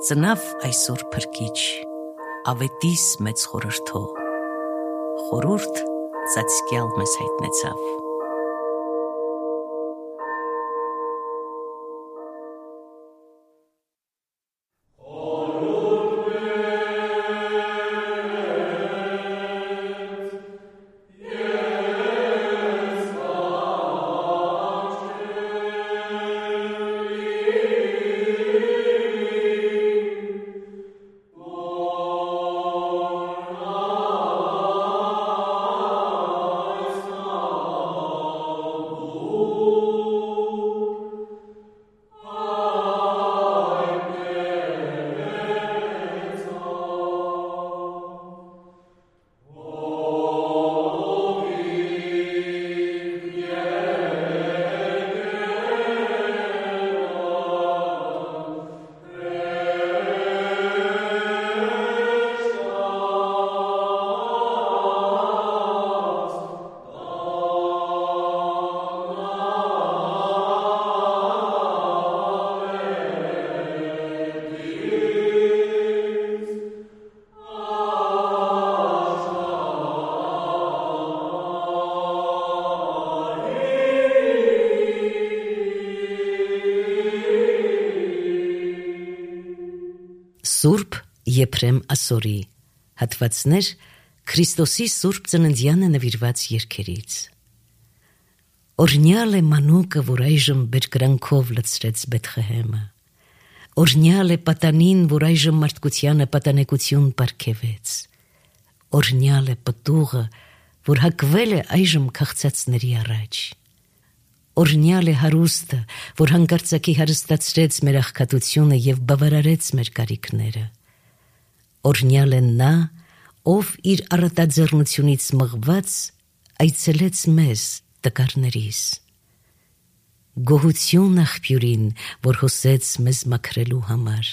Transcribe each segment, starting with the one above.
Ծնավ այսօր փրկիչ, ավետիս մեծ խորհրդով, խորհուրդ ծածկյալ մեզ հայտնեցավ։ Սուրբ Եփրեմ Ասորի հատվածներ Քրիստոսի Սուրբ Ծննդյանը նվիրված երգերից։ Օրհնյալ է մանուկը, որ այժմ բերկրանքով լցրեց Բեթխեհեմը։ Օրհնյալ է պատանին, որ այժմ մարդկությանը պատանեկություն պարգևեց։ Օրհնյալ է պտուղը, որ հագվել է այժմ քաղցածների առաջ։ Օրհնյալ է հարուստը, որ հանկարծակի հարստացրեց մեր աղքատությունը և բավարարեց մեր կարիքները։ Օրհնյալ է նա, ով իր առատաձեռնությունից մղված այցելեց մեզ, տկարներիս։ Գոհություն աղբյուրին, որ հոսեց մեզ մաքրելու համար։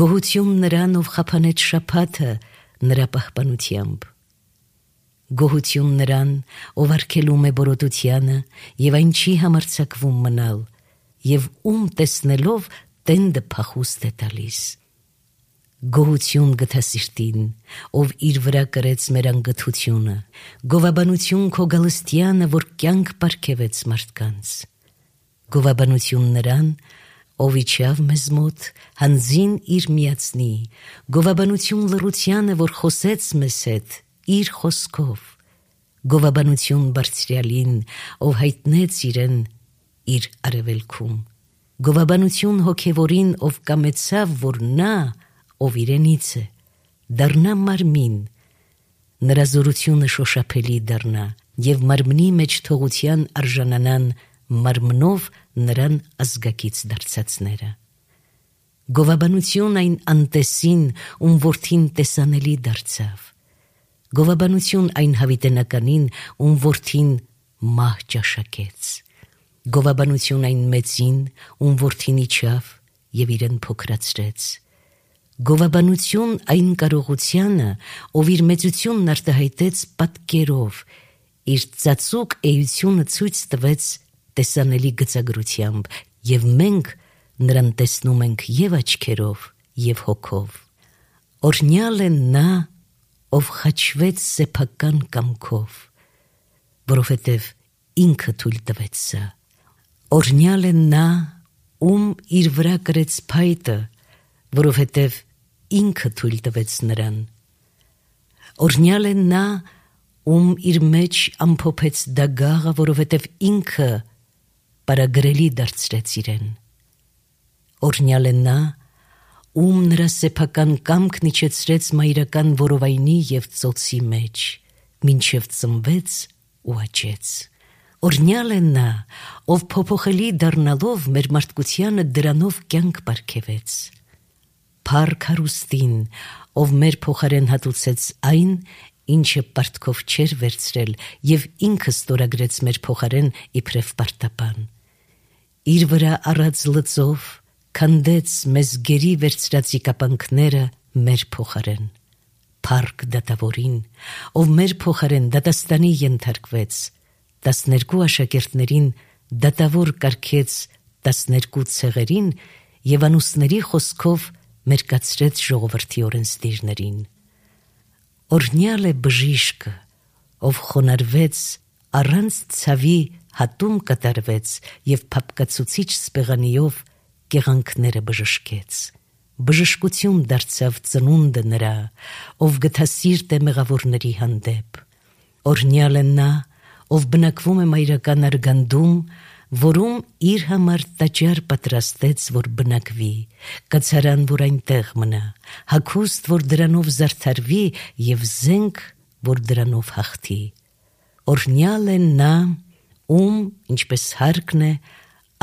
Գոհություն նրան, ով խափանեց շաբաթը նրա պահպանությամբ։ Գոհություն նրան, ով արգելում է բորոտությանը և այն չի համարձակվում մնալ, և տեսնելով տենդը փախուստ է տալիս։ Գոհություն գթասիրտին, ով իր վրա կրեց մեր անգթությունը, գովաբանություն քո գալստյանը, որ կյանք պարգևեց մարդկանց։ Գովաբանություն նրան, ով իջավ մեզ մոտ, հանձին իր միացնի, գովաբանություն լռությանը, որ խոսեց մեզ հետ իր խոսքով, գովաբանություն բարձրյալին, ով հայտնեց իրեն իր արևելքում, գովաբանություն հոգևորին, ով կամեցավ, որ նա, ով իրենից է, դառնա մարմին, նրա զորությունը շոշափելի դառնա, և մարմնի մեջ թողության արժանանան մարմնով նրան ազգակից դարձածները։ Գովաբանություն այն անտեսին, ում որդին տեսանելի դարձավ։ Գովաբանություն այն հավիտենականին, ում որդին մահ ճաշակեց։ Գովաբանություն այն մեծին, ում որդին իջավ և իրեն փոքրացրեց։ Գովաբանություն այն կարողությանը, ով իր մեծությունն արտահայտեց պատկերով, իր ծածուկ էությունը ցույց տվեց տեսանելի գծագրությամբ, և մենք նրան տեսնում ենք և աչքերով, և հոգով։ Օրհնյալ է նա, ով խաչվեց սեփական կամքով, որովհետև ինքը թույլ տվեց սա։ Օրհնյալ է նա, ում իր վրա կրեց փայտը, որովհետև ինքը թույլ տվեց նրան։ Օրհնյալ է նա, ում իր մեջ ամփոփեց դագաղը, որովհետև ինքը պարագրելի դարձրեց իրեն։ Օրհնյալ է նա, ում նրա սեփական կամքն իջեցրեց մայրական որովայնի և ծոցի մեջ, մինչև ծնվեց ու աճեց։ Օրհնյալ է նա, ով փոփոխելի դառնալով մեր մարդկությանը դրանով կյանք պարգևեց։ Փառք հարուստին, ով մեր փոխարեն հատուցեց այն, ինչը պարտքով չէր վերցրել, և ինքը ստորագրեց մեր փոխարեն իբրև պարտապան։ Իր վրա առած լծով քանդեց մեզ գերի վերցրածի կապանքները մեր փոխարեն։ Փառք դատավորին, ով մեր փոխարեն դատաստանի ենթարկվեց, 12 աշակերտներին դատավոր կարգեց 12 ցեղերին և անուսների խոսքով մերկացրեց ժողովրդի օրենսդիրներին. Օրհնյալ է բժիշկը, ով խոնարհվեց, առանց ցավի հատում կատարվեց եւ փափկացուցիչ սպեղանիով կեղանքները բժշկեց. բժշկություն դարձավ ծնունդը նրա, ով գթասիրտ է մեղավորների հանդեպ. օրհնյալ է նա, ով բնակվում է մայրական արգանդում, որում իր համար տաճար պատրաստեց, որ բնակվի, կացարան, որ այնտեղ մնա, հագուստ, որ դրանով զարդարվի, եւ զենք, որ դրանով հաղթի. օրհնյալ է նա, ում, ինչպես հարկն է,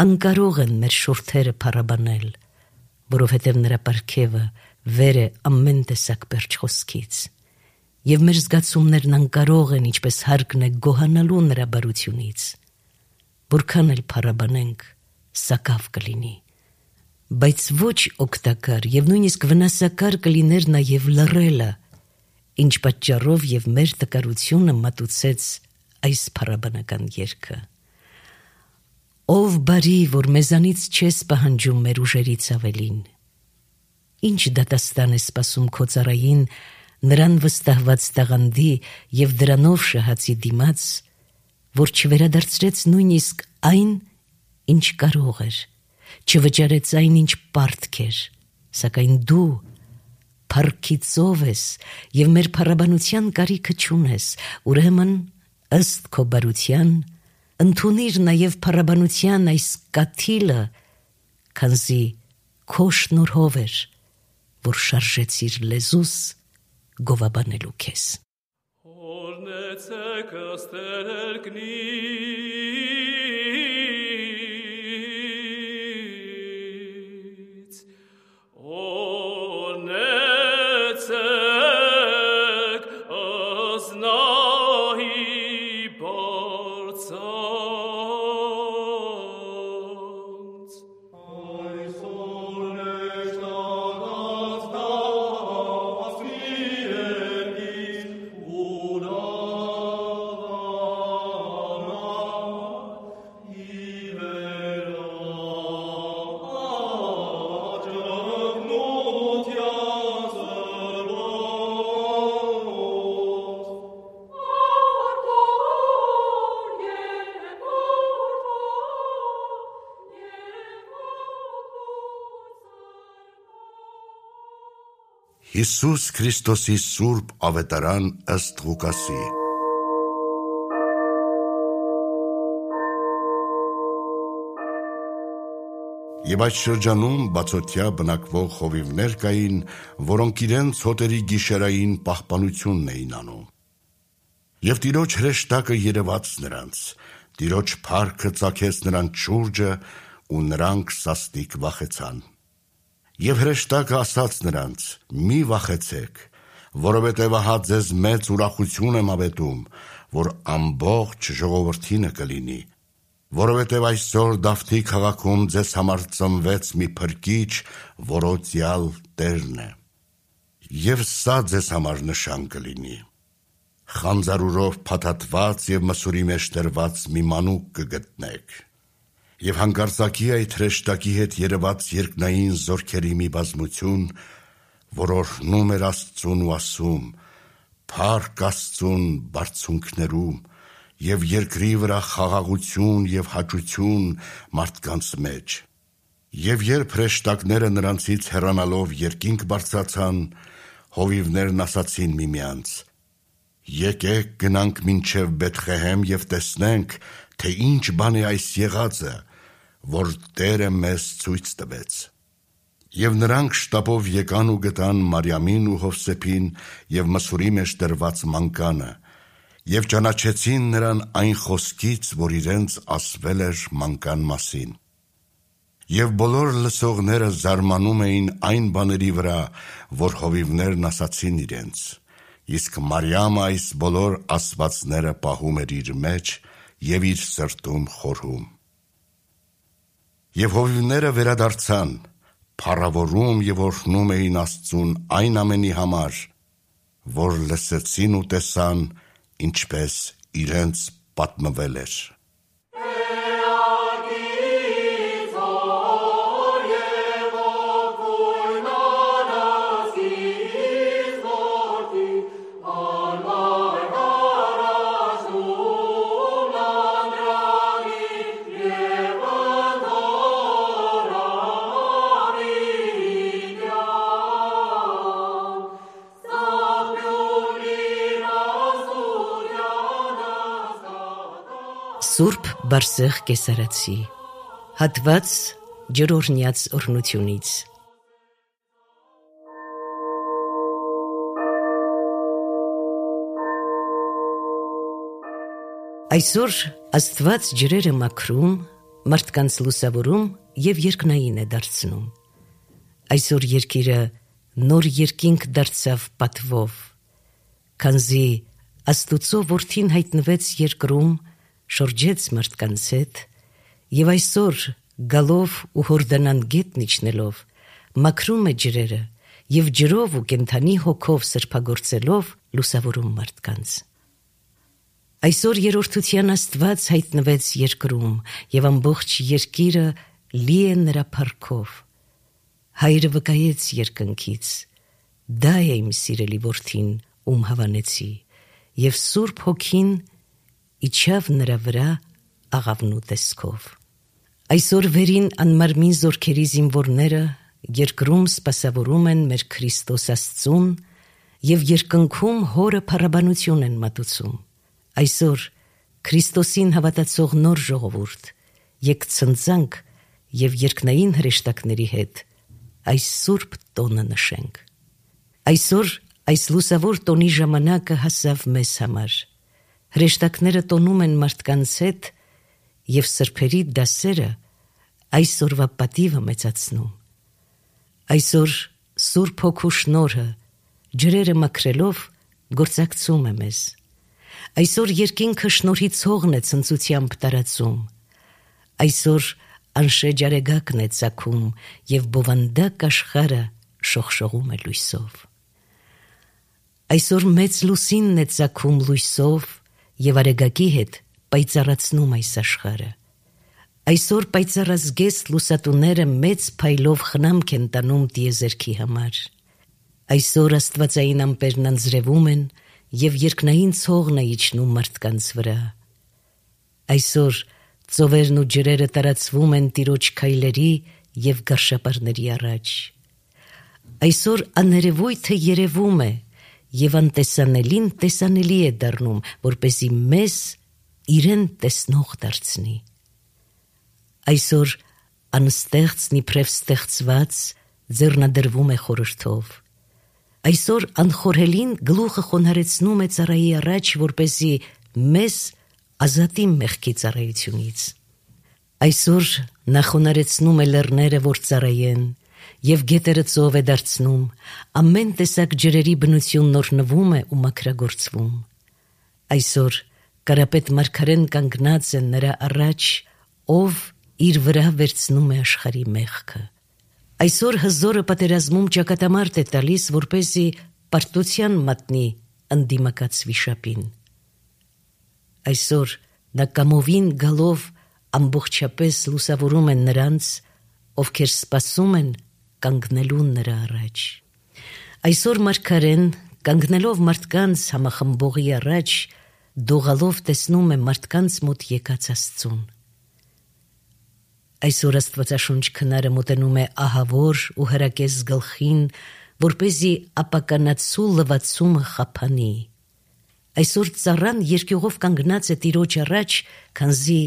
անկարող են մեր շուրթերը փառաբանել, որովհետև նրա պարգևը վեր է ամեն տեսակ պերճ խոսքից, եւ մեր զգացումներն անկարող են, ինչպես հարկն է, գոհանալու նրա բարությունից. որքան էլ փառաբանենք, սակավ կլինի, բայց ոչ օգտակար եւ նույնիսկ վնասակար կլիներ նաեւ լռելը, ինչ պատճառով եւ մեր տկարությունը մատուցեց այս փառաբանական երգը. ով բարի, որ մեզանից չես պահանջում մեր ուժերից ավելին, ինչ դատաստան է սպասում քո ծառային, նրան վստահված տաղանդի եւ դրանով շահացի դիմաց, որ չվերադարձրեց նույնիսկ այն, ինչ կարող էր, չվճարեց այն, ինչ պարտք էր, սակայն դու փառքի ծով ես եւ մեր փառաբանության կարիքը չունես, ուրեմն ըստ քո բարության ընդունիր նաեւ փառաբանության այս կաթիլը, քանզի քո շնորհով էր, որ շարժեցիր լեզուս գովաբանելու քեզ. Հիսուս Քրիստոսի սուրբ ավետարան ըստ Ղուկասի։ Եվ այդ շրջանում բացօթյա բնակվող խովիվներ կային, որոնք իրենց հոտերի գիշերային պահպանությունն էին անում։ Եվ Տիրոջ հրեշտակը երևաց նրանց, Տիրոջ փառքը ծագեց նրանց շուրջը, ու նրանք սաստիկ վախեցան։ Եվ հրեշտակը ասաց նրանց. մի վախեցեք, որովհետև ահա ձեզ մեծ ուրախություն եմ ավետում, որ ամբողջ ժողովրդինը կլինի, որովհետև այսօր Դավթի քաղաքում ձեզ համար ծնվեց մի փրկիչ, որոցյալ Տերն է։ Եվ սա ձեզ համար նշան կլինի. խանձարուրով փաթաթված եւ մսուրի մեջ դրված մի մանուկ կգտնեք։ Եվ հանկարծակի այդ հրեշտակի հետ երևաց երկնային զորքերի մի բազմություն, որ օրհնում էր Աստծուն ու ասում. փառք Աստծուն բարձունքներում եւ երկրի վրա խաղաղություն եւ հաճություն մարդկանց մեջ։ Եվ երբ հրեշտակները նրանցից հեռանալով երկինք բարձրացան, հովիվներն ասացին միմյանց. եկեք գնանք մինչև Բեթղեհեմ եւ տեսնենք, թե ինչ բան է այս եղածը, որ Տերը մեզ ցույց տվեց։ Եվ նրանք շտապով եկան ու գտան Մարիամին ու Հովսեփին եւ մսուրի մեջ դրված մանկանը, եւ ճանաչեցին նրան այն խոսքից, որ իրենց ասվել էր մանկան մասին։ Եվ բոլոր լսողները զարմանում էին այն բաների վրա, որ հովիվներն ասացին իրենց, իսկ Մարիամը այս բոլոր ասվածները պահում էր իր մեջ եւ իր սրտում խորհում։ Եվ հովիվները վերադարձան, փառավորում եւ օրհնում էին Աստծուն այն ամենի համար, որ լսեցին ու տեսան, ինչպես իրենց պատմվել էր։ Սուրբ Բարսեղ Կեսարացի հատված ջրօրհնյաց օրհնությունից Այսօր Աստված ջրերը մաքրում, մարդկանց լուսավորում և երկնային է դարձնում Այսօր երկիրը նոր երկինք դարձավ պատվով Քանզի Աստուծո որդին հայտնվեց երկրում շրջեց մարդկանց հետ և այսօր գալով ու հորդանան գետն իջնելով մաքրում է ջրերը և ջրով ու կենդանի հոգով սրբագործելով լուսավորում մարդկանց Այսօր երրորդության Աստված հայտնվեց երկրում և ամբողջ երկիրը լի է նրա փառքով Հայրը վկայեց երկնքից Դա է իմ սիրելի որդին ում հավանեցի և Սուրբ Հոգին իջավ նրա վրա աղավնու տեսքով Այսօր վերին անմարմին զորքերի զինվորները երկրում սպասավորում են մեր Քրիստոս Աստծուն և երկնքում հորը փառաբանություն են մատուցում Այսօր Քրիստոսին հավատացող նոր ժողովուրդ Եկ ցնծանք և երկնային հրեշտակների հետ այս սուրբ տոնը նշենք Այսօր այս լուսավոր տոնի ժամանակը հասավ մեզ համար Հրեշտակները տոնում են մարդկանց հետ և սրբերի դասերը այս օրվա պատիվը մեծացնում Այսօր Սուրբ Հոգու շնորհը ջրերը մաքրելով գործակցում է մեզ Այսօր երկինքը շնորհի ցողն է ցնծությամբ տարածում Այսօր անշեջ արեգակն է ծագում և բովանդակ աշխարհը շողշողում է լույսով Այսօր մեծ լուսինն է ծագում լույսով և արեգակի հետ պայծառացնում այս աշխարհը Այսօր պայծառազգեստ լուսատուները մեծ փայլով խնամք են տանում տիեզերքի համար Այսօր աստվածային ամպերն անձրևում են և երկնային ցողն է իջնում մարդկանց վրա Այսօր ծովերն ու ջրերը տարածվում են Տիրոջ քայլերի և գարշապարների առաջ Այսօր աներևույթը երևում է և անտեսանելին տեսանելի է դառնում, որպեսզի մեզ իրեն տեսնող դարձնի Այսօր անստեղծն իբրև ստեղծված ձեռնադրվում է խորհրդով Այսօր անխորհելին գլուխը խոնարհեցնում է ծառայի առաջ, որպեսզի մեզ ազատի մեղքի ծառայությունից Այսօր նա խոնարհեցնում է լեռները, որ ծառայեն Եվ գետերը ծով է դարձնում, ամեն տեսակ ջրերի բնությունն օրհնվում է ու մաքրագործվում Այսօր կարապետ մարգարեն կանգնած է նրա առաջ, ով իր վրա վերցնում է աշխարհի մեղքը Այսօր հզորը պատերազմում ճակատամարտ է տալիս, որպեսզի պարտության մատնի ընդդիմակաց վիշապին Այսօր նա կամովին գալով ամբողջապես լուսավորում է նրանց, ովքեր սպասում են կանգնելու նրա առաջ Այսօր մարգարեն կանգնելով մարդկանց համախմբողի առաջ դողալով տեսնում է մարդկանց մոտ եկած Աստծուն Այսօր Աստվածաշունչ քնարը մոտենում է ահավոր ու հրակես գլխին, որպեսզի ապականացու լվացումը խափանի Այսօր ծառան երկյուղով կանգնած է Տիրոջ առաջ, քանզի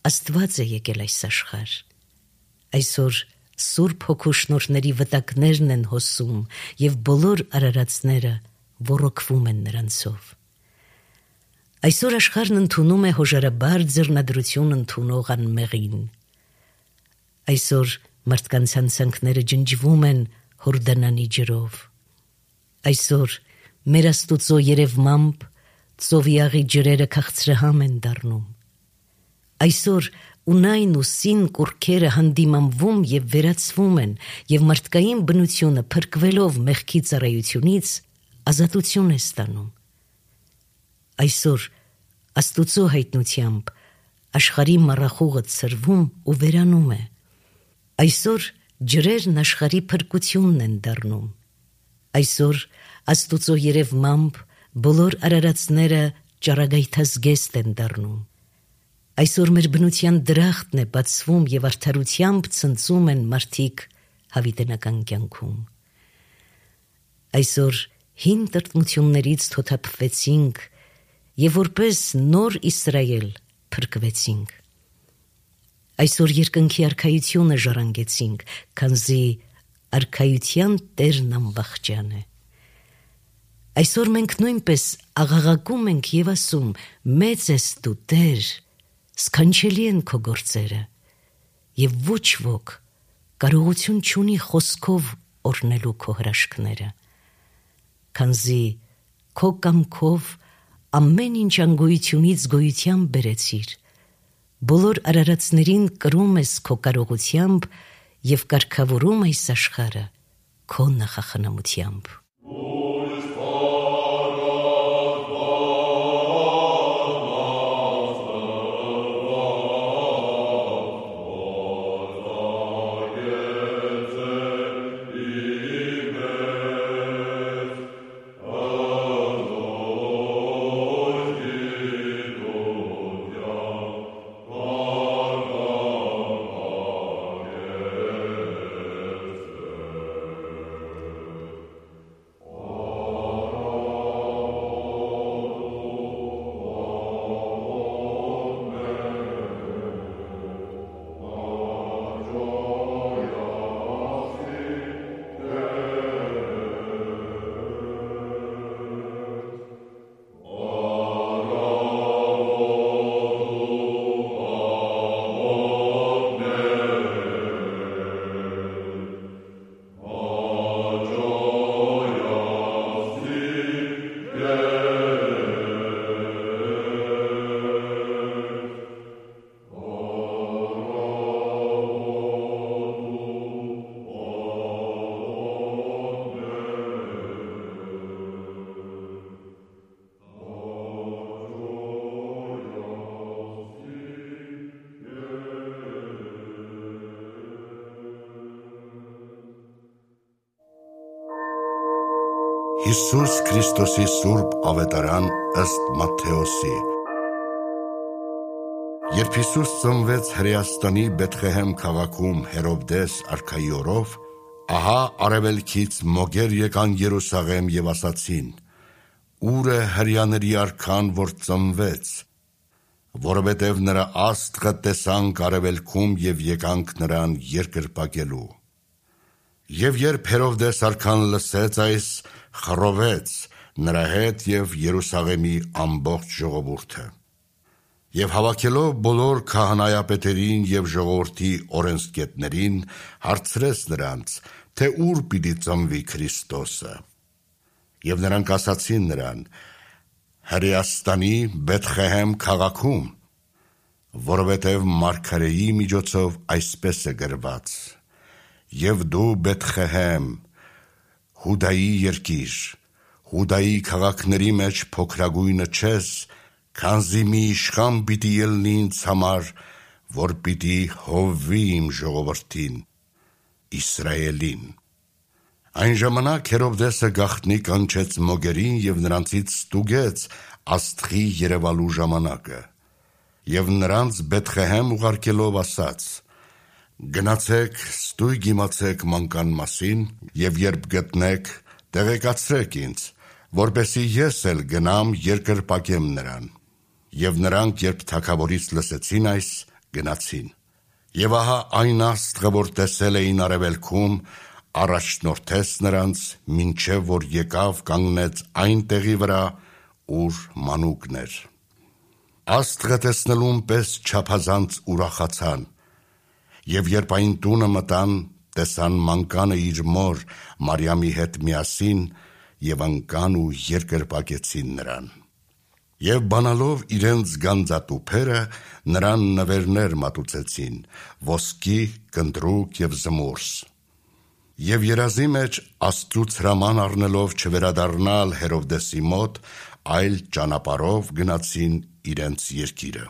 Աստված է եկել այս աշխարհ Այսօր Սուրբ Հոգու շնորհների վտակներն են հոսում և բոլոր արարածները ոռոգվում են նրանցով Այսօր աշխարհն ընդունում է հոժարաբար ձեռնադրություն ընդունող անմեղին Այսօր մարդկանց հանցանքները ջնջվում են հորդանանի ջրով Այսօր մեր Աստուծո երևմամբ ծովի աղի ջրերը քաղցրահամ են դառնում Այսօր ունայն ու սին կուռքերը հանդիմանվում և վերացվում են և մարդկային բնությունը փրկվելով մեղքի ծառայությունից ազատություն է ստանում Այսօր Աստուծո հայտնությամբ աշխարհի մառախուղը ցրվում ու վերանում է Այսօր ջրերն աշխարհի փրկությունն են դառնում Այսօր Աստուծո երևմամբ բոլոր արարածները ճառագայթազգեստ են դառնում Այսօր մեր բնության դրախտն է բացվում և արդարությամբ ցնծում են մարդիկ հավիտենական կյանքում Այսօր հին տրտմություններից թոթափվեցինք և որպես նոր Իսրայել փրկվեցինք։ Այսօր երկնքի արքայությունը ժառանգեցինք, քանզի արքայության Տերն ամբախճան է։ Այսօր մենք նույնպես աղաղակում ենք եւ ասում. մեծ ես դու, Տեր, սքանչելի են քո գործերը, եւ ոչ ոք կարողություն չունի խոսքով օրհնելու քո հրաշքները, քանզի քո կամքով ամեն ինչ անգոյությունից գոյության բերեցիր, բոլոր արարածներին կրում ես քո կարողությամբ եւ կարգավորում այս աշխարհը քո նախախնամությամբ։ Հիսուս Քրիստոսի Սուրբ Ավետարան ըստ Մատթեոսի։ Երբ Հիսուս ծնվեց Հրեաստանի Բեթղեհեմ քաղաքում Հերովդես արքայի օրով, ահա արևելքից մոգեր եկան Երուսաղեմ եւ ասացին. «Ուր է հրեաների արքան, որ ծնվեց, որովհետև նրա աստղը տեսանք արևելքում եւ եկանք նրան երկրպագելու»։ Եվ երբ Հերովդես արքան լսեց այս, խռովեց նրա հետ եւ Երուսաղեմի ամբողջ ժողովուրդը։ Եվ հավաքելով բոլոր քահանայապետերին եւ ժողովրդի օրենսգետներին, հարցրեց նրանց, թե ուր պիտի ծնվի Քրիստոսը։ Եվ նրանք ասացին նրան. «Հրեաստանի Բեթղեհեմ քաղաքում, որովհետև մարգարեի միջոցով այսպես է գրված. Եվ դու Բեթղեհեմ, Հուդայի երկիր, Հուդայի քաղաքների մեջ փոքրագույնը չես, քանզի մի իշխան պիտի ելնի ինձ համար, որ պիտի հովվի իմ ժողովրդին, Իսրայելին»։ Այն ժամանակ Հերովդեսը գաղտնի կանչեց մոգերին եւ նրանցից ստուգեց աստղի երևալու ժամանակը, եւ նրանց Բեթղեհեմ ուղարկելով ասաց. «Գնացեք, ստույգ իմացեք մանկան մասին, եւ երբ գտնեք, տեղեկացրեք ինձ, որպեսզի ես էլ գնամ երկրպագեմ նրան»։ Եվ նրանք, երբ թագավորից լսեցին այս, գնացին։ Եվ ահա այն աստղը, որ տեսել էին արևելքում, առաջնորդեց նրանց, մինչև որ եկավ կանգնեց այն տեղի վրա, ուր մանուկն էր։ Աստղը տեսնելուն պես չափազանց ուրախացան, եւ երբ այն տունը մտան, տեսան մանկանը իր մոր Մարիամի հետ միասին եւ ընկան ու երկրպագեցին նրան։ Եվ բանալով իրենց գանձատուփերը, նրան նվերներ մատուցեցին, ոսկի, կնդրուկ եւ զմուրս։ Եվ երազի մեջ Աստծուց հրաման առնելով չվերադառնալ Հերովդեսի մոտ, այլ ճանապարհով գնացին իրենց երկիրը։